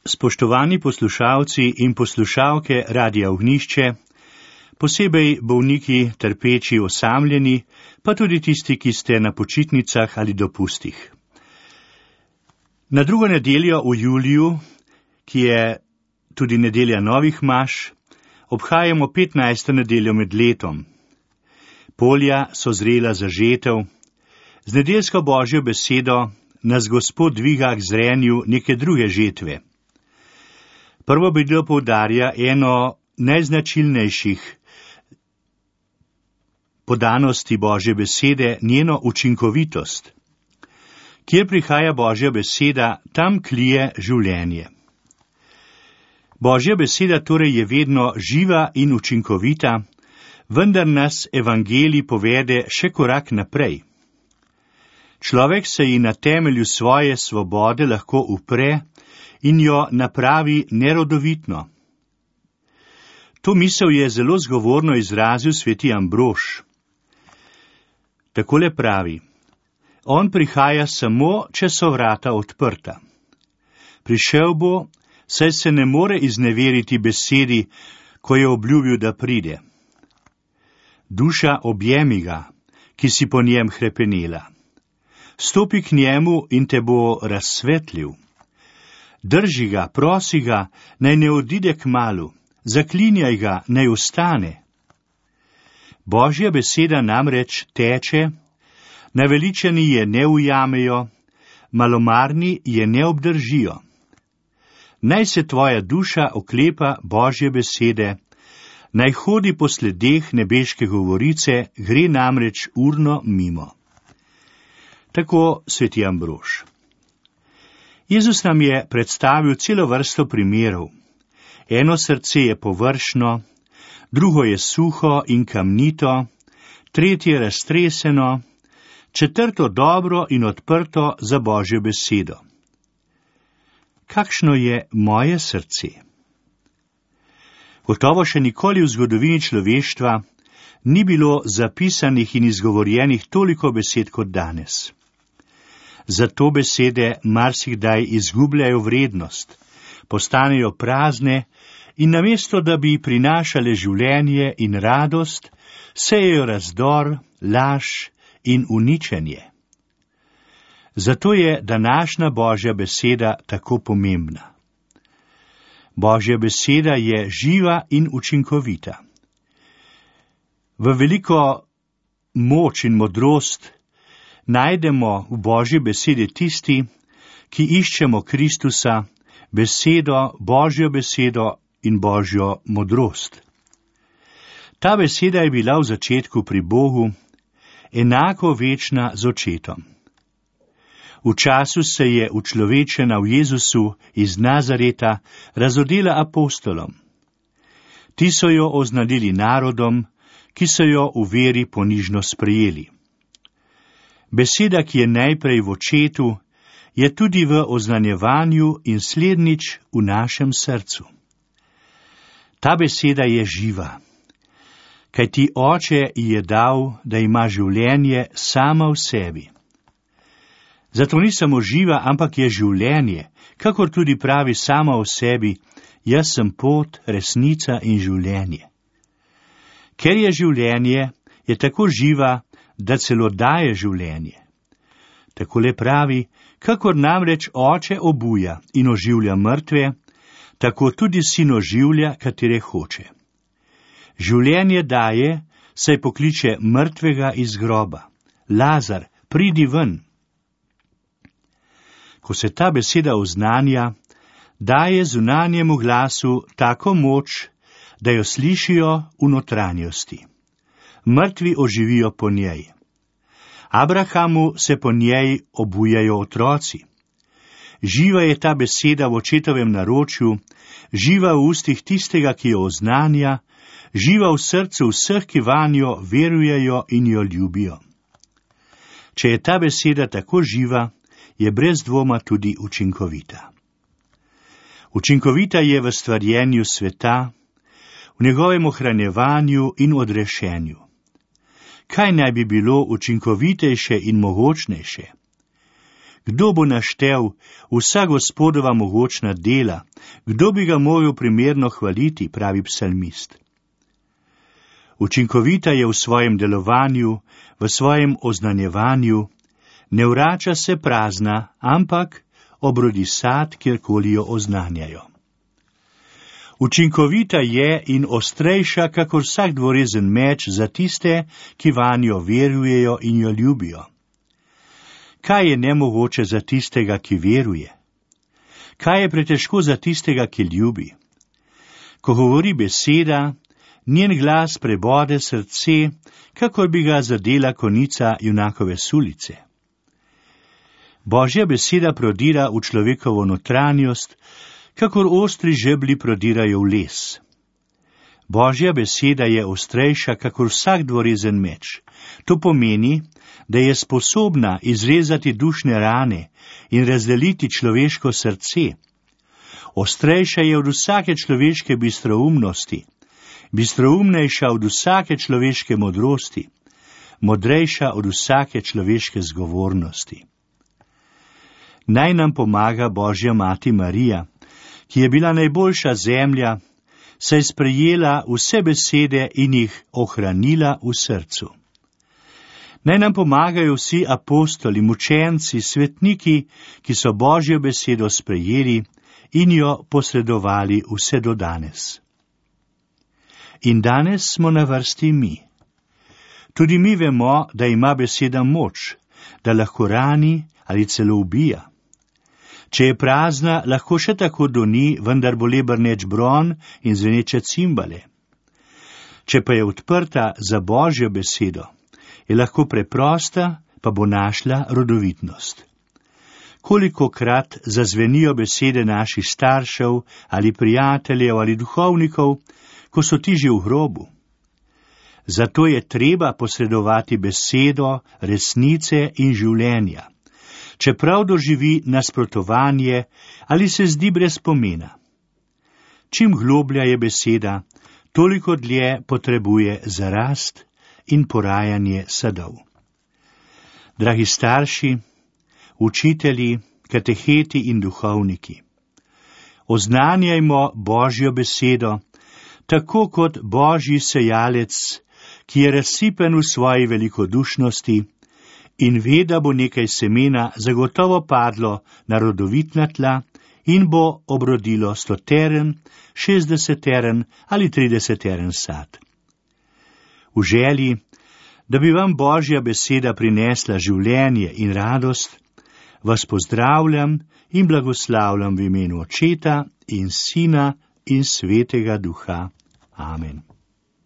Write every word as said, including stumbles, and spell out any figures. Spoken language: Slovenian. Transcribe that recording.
Spoštovani poslušalci in poslušalke Radia Ognjišče, posebej bolniki, trpeči, osamljeni, pa tudi tisti, ki ste na počitnicah ali dopustih. Na drugo nedeljo v juliju, ki je tudi nedelja novih maš, obhajamo petnajsto nedeljo med letom. Polja so zrela za žetev, z nedeljsko Božjo besedo nas Gospod dviga k zrenju neke druge žetve. Prvo besedilo poudarja eno najznačilnejših podanosti Božje besede, njeno učinkovitost. Kjer prihaja Božja beseda, tam klije življenje. Božja beseda torej je vedno živa in učinkovita, vendar nas evangelij povede še korak naprej. Človek se ji na temelju svoje svobode lahko upre in jo napravi nerodovitno. To misel je zelo zgovorno izrazil sveti Ambrož. Takole pravi: on prihaja samo, če so vrata odprta. Prišel bo, saj se ne more izneveriti besedi, ko je obljubil, da pride. Duša, objemi ga, ki si po njem hrepenela. Stopi k njemu in te bo razsvetlil. Drži ga, prosi ga, naj ne odide kmalu, zaklinjaj ga, naj ostane. Božja beseda namreč teče, naveličani je ne ujamejo, malomarni je ne obdržijo. Naj se tvoja duša oklepa Božje besede, naj hodi po sledeh nebeške govorice, gre namreč urno mimo. Tako sveti Ambrož. Jezus nam je predstavil celo vrsto primerov. Eno srce je površno, drugo je suho in kamnito, tretje raztreseno, četrto dobro in odprto za Božjo besedo. Kakšno je moje srce? Gotovo še nikoli v zgodovini človeštva ni bilo zapisanih in izgovorjenih toliko besed kot danes. Zato besede marsikdaj izgubljajo vrednost, postanejo prazne in namesto, da bi prinašale življenje in radost, sejejo razdor, laž in uničenje. Zato je današnja Božja beseda tako pomembna. Božja beseda je živa in učinkovita. V veliko moč in modrost najdemo v Božji besedi tisti, ki iščemo Kristusa, besedo, Božjo besedo in Božjo modrost. Ta beseda je bila v začetku pri Bogu, enako večna z očetom. V času se je učlovečena v Jezusu iz Nazareta razodela apostolom. Ti so jo oznanili narodom, ki so jo v veri ponižno sprejeli. Beseda, ki je najprej v očetu, je tudi v oznanjevanju in slednjič v našem srcu. Ta beseda je živa, kajti Oče ji je dal, da ima življenje sama v sebi. Zato ni samo živa, ampak je življenje, kakor tudi pravi sama v sebi: jaz sem pot, resnica in življenje. Ker je življenje, je tako živa, da celo daje življenje. Takole pravi: kakor namreč Oče obuja in oživlja mrtve, tako tudi Sin oživlja, katere hoče. Življenje daje, saj pokliče mrtvega iz groba: Lazar, pridi ven. Ko se ta beseda oznanja, daje zunanjemu glasu tako moč, da jo slišijo v notranjosti. Mrtvi oživijo po njej. Abrahamu se po njej obujajo otroci. Živa je ta beseda v očetovem naročju, živa v ustih tistega, ki jo oznanja, živa v srcu vseh, ki vanjo verujejo in jo ljubijo. Če je ta beseda tako živa, je brez dvoma tudi učinkovita. Učinkovita je v stvarjenju sveta, v njegovem ohranjevanju in odrešenju. Kaj naj bi bilo učinkovitejše in mogočnejše? Kdo bo naštel vsa Gospodova mogočna dela? Kdo bi ga mogel primerno hvaliti, pravi psalmist. Učinkovita je v svojem delovanju, v svojem oznanjevanju, ne vrača se prazna, ampak obrodi sad, kjerkoli jo oznanjajo. Učinkovita je in ostrejša, kakor vsak dvorezen meč za tiste, ki vanjo verujejo in jo ljubijo. Kaj je nemogoče za tistega, ki veruje? Kaj je pretežko za tistega, ki ljubi? Ko govori beseda, njen glas prebode srce, kakor bi ga zadela konica junakove sulice. Božja beseda prodira v človekovo notranjost, kakor ostri žebli prodirajo v les. Božja beseda je ostrejša, kakor vsak dvorezen meč. To pomeni, da je sposobna izrezati dušne rane in razdeliti človeško srce. Ostrejša je od vsake človeške bistroumnosti, bistroumnejša od vsake človeške modrosti, modrejša od vsake človeške zgovornosti. Naj nam pomaga Božja mati Marija, ki je bila najboljša zemlja, saj sprejela vse besede in jih ohranila v srcu. Naj nam pomagajo vsi apostoli, mučenci, svetniki, ki so Božjo besedo sprejeli in jo posredovali vse do danes. In danes smo na vrsti mi. Tudi mi vemo, da ima beseda moč, da lahko rani ali celo ubija. Če je prazna, lahko še tako doni, vendar bo le brneč bron in zveneče cimbale. Če pa je odprta za Božjo besedo, je lahko preprosta, pa bo našla rodovitnost. Kolikokrat zazvenijo besede naših staršev ali prijateljev ali duhovnikov, ko so ti že v grobu. Zato je treba posredovati besedo, resnice in življenja, čeprav doživi nasprotovanje ali se zdi brez pomena. Čim globlja je beseda, toliko dlje potrebuje za rast in porajanje sadov. Dragi starši, učitelji, kateheti in duhovniki, oznanjajmo Božjo besedo, tako kot Božji sejalec, ki je razsipen v svoji velikodušnosti in ve, da bo nekaj semena zagotovo padlo na rodovitna tla in bo obrodilo stoteren, šestdeseteren ali trideseteren sad. V želji, da bi vam Božja beseda prinesla življenje in radost, vas pozdravljam in blagoslavljam v imenu Očeta in Sina in Svetega Duha. Amen.